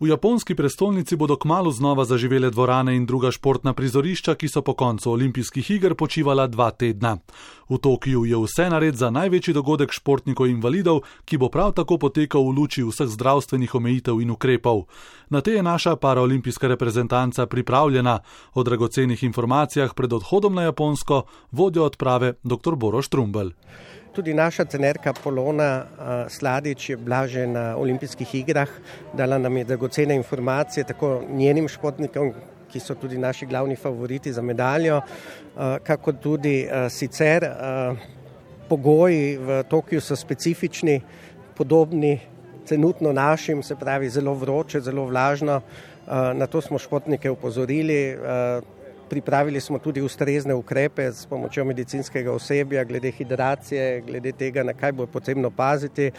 V japonski prestolnici bodo kmalu znova zaživele dvorane in druga športna prizorišča, ki so po koncu olimpijskih iger počivala 2 tedna. V Tokiu je vse nared za največji dogodek športnikov invalidov, ki bo prav tako potekal v luči vseh zdravstvenih omejitev in ukrepov. Na te je naša paraolimpijska reprezentanca pripravljena. O dragocenih informacijah pred odhodom na Japonsko vodja odprave dr. Boro Štrumbelj. Tudi naša trenerka Polona Sladič je bila že na olimpijskih igrah, dala nam je dragocene informacije, tako njenim športnikom, ki so tudi naši glavni favoriti za medaljo, kako tudi sicer pogoji v Tokiu so specifični, podobni trenutno našim, se pravi zelo vroče, zelo vlažno. Na to smo športnike upozorili. Pripravili smo tudi ustrezne ukrepe s pomočjo medicinskega osebja, glede hidracije, glede tega, na kaj bo potrebno paziti.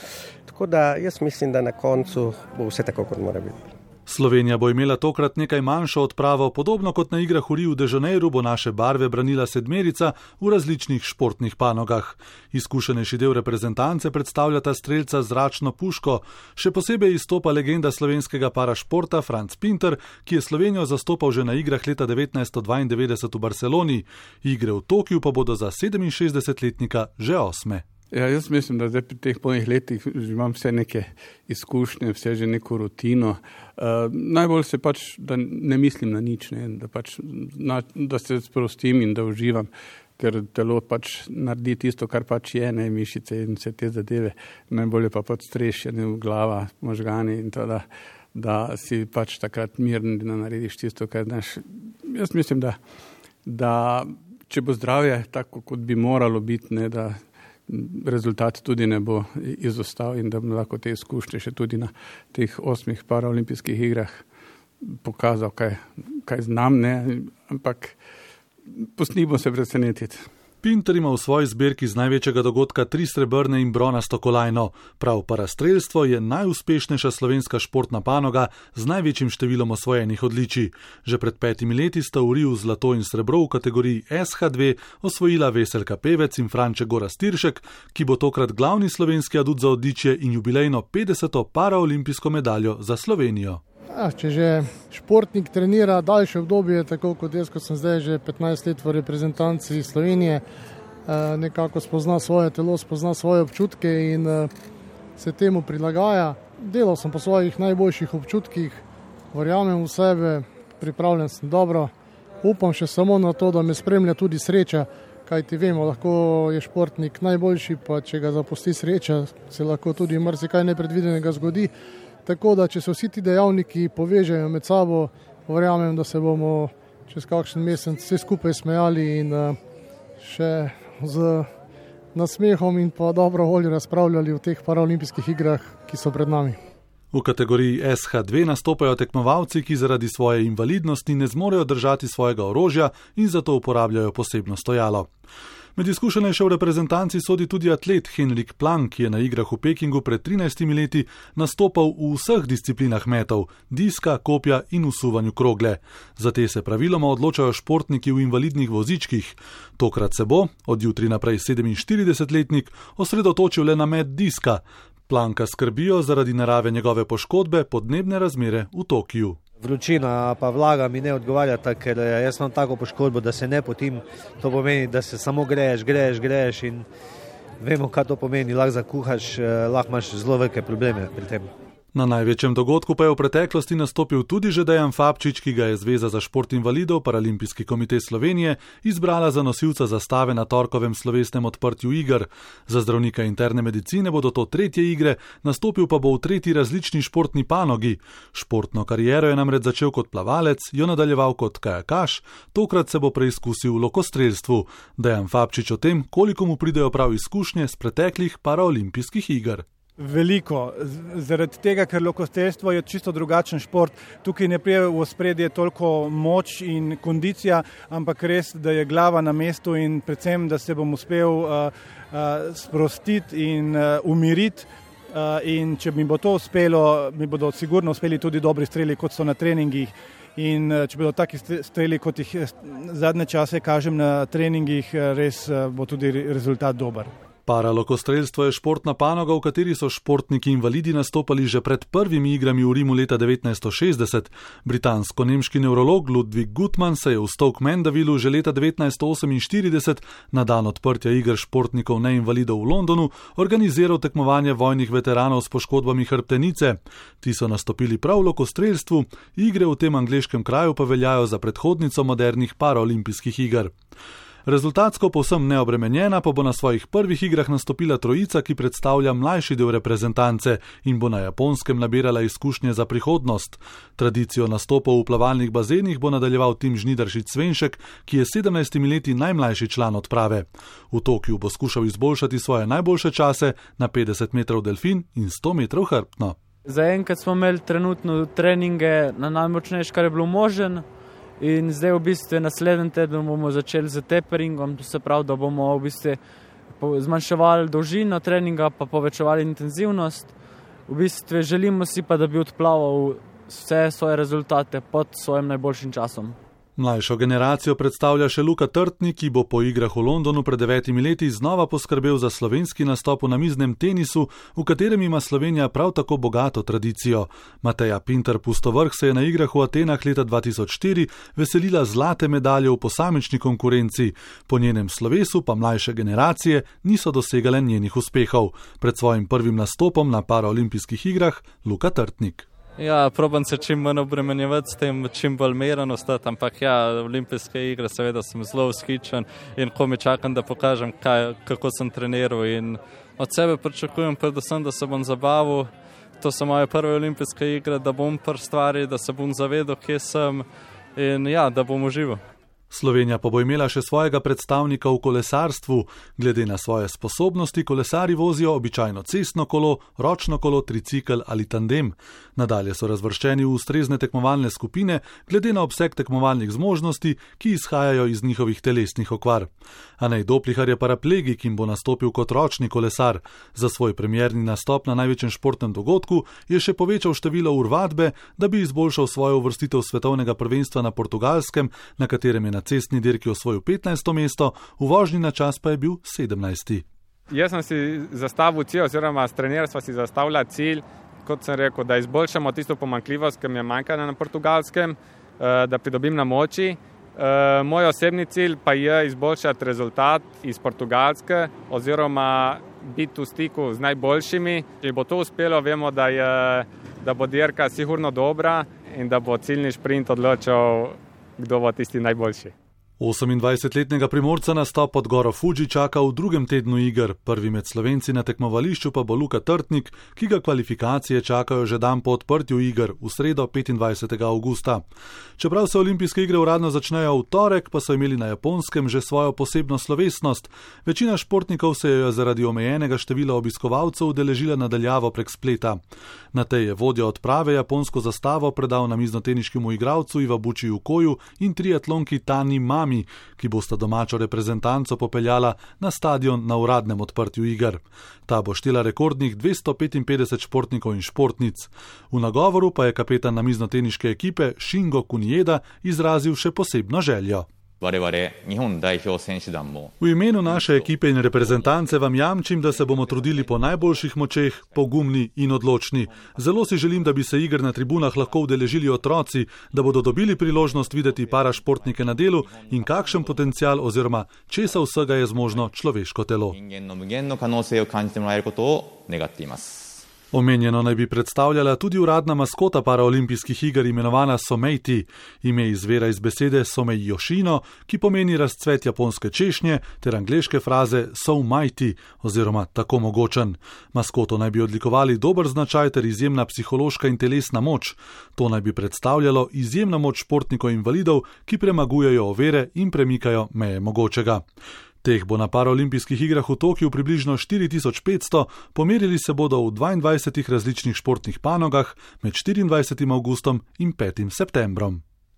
Tako da jaz mislim, da na koncu bo vse tako, kot mora biti. Slovenija bo imela tokrat nekaj manjšo odpravo, podobno kot na igrah v Riu de Janeiro bo naše barve branila 7 v različnih športnih panogah. Izkušenejši del reprezentance predstavljata strelca z zračno puško, še posebej izstopa legenda slovenskega parašporta Franc Pinter, ki je Slovenijo zastopal že na igrah leta 1992 v Barceloni. Igre v Tokiu pa bodo za 67-letnika že 8. Ja, jaz mislim, da zdaj pri teh polnih letih imam vse neke izkušnje, vse že neko rutino. Najbolj se da ne mislim na nič, ne, da se sprostim in da uživam, ker telo naredi tisto, kar je, ne, mišice in vse te zadeve. Najbolje pa podstrešje, glava, možgani in to, da si takrat miren, da narediš tisto, kar znaš. Jaz mislim, da če bo zdravje tako, kot bi moralo biti, ne, da rezultat tudi ne bo izostal in da bom lahko te izkušnje še tudi na teh 8 paraolimpijskih igrah pokazal, kaj znam, ne, ampak pustimo se presenetiti. Pinter ima v svoji zbirki z največjega dogodka 3 srebrne in bronasto kolajno. Prav parastrelstvo je najuspešnejša slovenska športna panoga z največjim številom osvojenih odličij. Že pred 5 leti sta v Riu zlato in srebro v kategoriji SH2 osvojila Veselka Pevec in Franček Gorazd Tiršek, ki bo tokrat glavni slovenski adut za odličje in jubilejno 50. paraolimpijsko medaljo za Slovenijo. Če že športnik trenira daljše obdobje, tako kot jaz, ko sem zdaj že 15 let v reprezentanci Slovenije, nekako spozna svoje telo, spozna svoje občutke in se temu prilagaja. Delal sem po svojih najboljših občutkih, verjamem v sebe, pripravljen sem dobro. Upam še samo na to, da me spremlja tudi sreča, kajti vemo, lahko je športnik najboljši, pa če ga zapusti sreča, se lahko tudi marsikaj nepredvidenega zgodi. Tako da, če se vsi ti dejavniki povežejo med sabo, verjamem, da se bomo čez kakšen mesec vsi skupaj smejali in še z nasmehom in pa dobro voljo razpravljali o teh paraolimpijskih igrah, ki so pred nami. V kategoriji SH2 nastopajo tekmovalci, ki zaradi svoje invalidnosti ne zmorejo držati svojega orožja in zato uporabljajo posebno stojalo. Med izkušenejše v reprezentanci sodi tudi atlet Henrik Plank, ki je na igrah v Pekingu pred 13 leti nastopal v vseh disciplinah metov, diska, kopja in usuvanju krogle. Za te se praviloma odločajo športniki v invalidnih vozičkih. Tokrat se bo, od jutri naprej 47-letnik, osredotočil le na met diska. Planka skrbijo zaradi narave njegove poškodbe podnebne razmere v Tokiu. Vročina pa vlaga mi ne odgovarjata, ker jaz imam tako poškodbo, da se ne potim. To pomeni, da se samo greješ in vemo, kaj to pomeni. Lahko zakuhaš, lahko imaš zelo velike probleme pri tem. Na največjem dogodku pa je v preteklosti nastopil tudi že Dejan Fabčič, ki ga je Zveza za šport invalidov Paralimpijski komite Slovenije izbrala za nosilca zastave na torkovem slovesnem odprtju iger. Za zdravnika interne medicine bodo to 3. igre, nastopil pa bo v 3. različni športni panogi. Športno kariero je namreč začel kot plavalec, jo nadaljeval kot kajakaš, tokrat se bo preizkusil v lokostrelstvu. Dejan Fabčič o tem, koliko mu pridejo prav izkušnje z preteklih paraolimpijskih iger. Veliko, zaradi tega, ker lokostrelstvo je čisto drugačen šport. Tukaj ne pride v ospredje toliko moč in kondicija, ampak res, da je glava na mestu in predvsem, da se bom uspel sprostiti in umiriti. In če mi bo to uspelo, mi bodo sigurno uspeli tudi dobri streli, kot so na treningih. In če bodo taki streli, kot jih zadnje čase kažem na treningih, res bo tudi rezultat dober. Paralokostrelstvo je športna panoga, v kateri so športniki invalidi nastopali že pred prvimi igrami v Rimu leta 1960. Britansko-nemški nevrolog Ludwig Guttmann se je v Stoke Mandeville že leta 1948 na dan odprtja iger športnikov neinvalidov v Londonu organiziral tekmovanje vojnih veteranov s poškodbami hrbtenice. Ti so nastopili prav v lokostrelstvu, igre v tem angleškem kraju pa veljajo za predhodnico modernih paraolimpijskih iger. Rezultatsko povsem neobremenjena pa bo na svojih prvih igrah nastopila trojica, ki predstavlja mlajši del reprezentance in bo na Japonskem nabirala izkušnje za prihodnost. Tradicijo nastopov v plavalnih bazenih bo nadaljeval Tim Žnidaršič-Svenšek, ki je 17 leti najmlajši član odprave. V Tokiu bo skušal izboljšati svoje najboljše čase na 50 metrov delfin in 100 metrov hrbtno. Zaenkrat smo imeli trenutno treninge na najmočnejši, kar je bilo možen. In zdaj v bistvu naslednji teden bomo začeli z taperingom, to se pravi, da bomo v bistvu zmanjševali dolžino treninga pa povečevali intenzivnost. V bistvu želimo si pa, da bi odplaval vse svoje rezultate pod svojim najboljšim časom. Mlajšo generacijo predstavlja še Luka Trtnik, ki bo po igrah v Londonu pred 9 leti znova poskrbel za slovenski nastop v namiznem tenisu, v katerem ima Slovenija prav tako bogato tradicijo. Mateja Pintar-Pustovrh se je na igrah v Atenah leta 2004 veselila zlate medalje v posamični konkurenci. Po njenem slovesu pa mlajše generacije niso dosegale njenih uspehov. Pred svojim prvim nastopom na paraolimpijskih igrah Luka Trtnik. Ja, probam se čim manj obremenjevati s tem, čim bolj meren ostati, ampak ja, olimpijske igre seveda sem zelo vzhičen in ko mi čakam, da pokažem, kako sem treniral in od sebe pričakujem predvsem, da se bom zabavil. To so moje prve olimpijske igre, da bom pri stvari, da se bom zavedal, kje sem in ja, da bom užival. Slovenija pa bo imela še svojega predstavnika v kolesarstvu. Glede na svoje sposobnosti kolesari vozijo običajno cestno kolo, ročno kolo, tricikl ali tandem. Nadalje so razvrščeni v ustrezne tekmovalne skupine, glede na obseg tekmovalnih zmožnosti, ki izhajajo iz njihovih telesnih okvar. Anej Doplihar je paraplegik in bo nastopil kot ročni kolesar. Za svoj premierni nastop na največjem športnem dogodku je še povečal število ur vadbe, da bi izboljšal svojo uvrstitev svetovnega prvenstva na Portugalskem, na katerem je na cestni dirki osvojil 15. mesto, v vožnji na čas pa je bil 17. Jaz sem si zastavil cilj, oziroma s trenerjem sva si zastavila cilj, kot sem rekel, da izboljšamo tisto pomanjkljivost, ki mi je manjkala na Portugalskem, da pridobim na moči. Moj osebni cilj pa je izboljšati rezultat iz Portugalske oziroma biti v stiku z najboljšimi. Če bo to uspelo, vemo, da bo dirka sigurno dobra in da bo ciljni šprint odločil, kdo bo tisti najboljši. 28-letnega Primorca nastop pod goro Fuji čaka v drugem tednu iger. Prvi med Slovenci na tekmovališču pa bo Luka Trtnik, ki ga kvalifikacije čakajo že dan po odprtju iger, v sredo 25. avgusta. Čeprav se olimpijske igre uradno začnejo v torek, pa so imeli na Japonskem že svojo posebno slovesnost. Večina športnikov se je zaradi omejenega števila obiskovalcev udeležila nadaljavo prek spleta. Na tej je vodja odprave japonsko zastavo predal namiznoteniškemu igralcu Iwabuchi Ukoju in triatlonki Tani Mami, ki bosta domačo reprezentanco popeljala na stadion na uradnem odprtju iger. Ta bo štela rekordnih 255 športnikov in športnic. V nagovoru pa je kapetan namiznoteniške ekipe Shingo Kunieda izrazil še posebno željo. V imenu naše ekipe in reprezentance vam jamčim, da se bomo trudili po najboljših močeh, pogumni in odločni. Zelo si želim, da bi se iger na tribunah lahko udeležili otroci, da bodo dobili priložnost videti parašportnike na delu in kakšen potencial oziroma česa vsega je zmožno človeško telo. Omenjeno naj bi predstavljala tudi uradna maskota paraolimpijskih iger imenovana Someiti. Ime izvira iz besede Somei Yoshino, ki pomeni razcvet japonske češnje, ter angleške fraze so mighty oziroma tako mogočen. Maskoto naj bi odlikovali dober značaj ter izjemna psihološka in telesna moč. To naj bi predstavljalo izjemno moč športnikov invalidov, ki premagujejo ovire in premikajo meje mogočega. Teh bo na paraolimpijskih igrah v Tokiu približno 4500, pomerili se bodo v 22 različnih športnih panogah med 24. avgustom in 5. septembrom.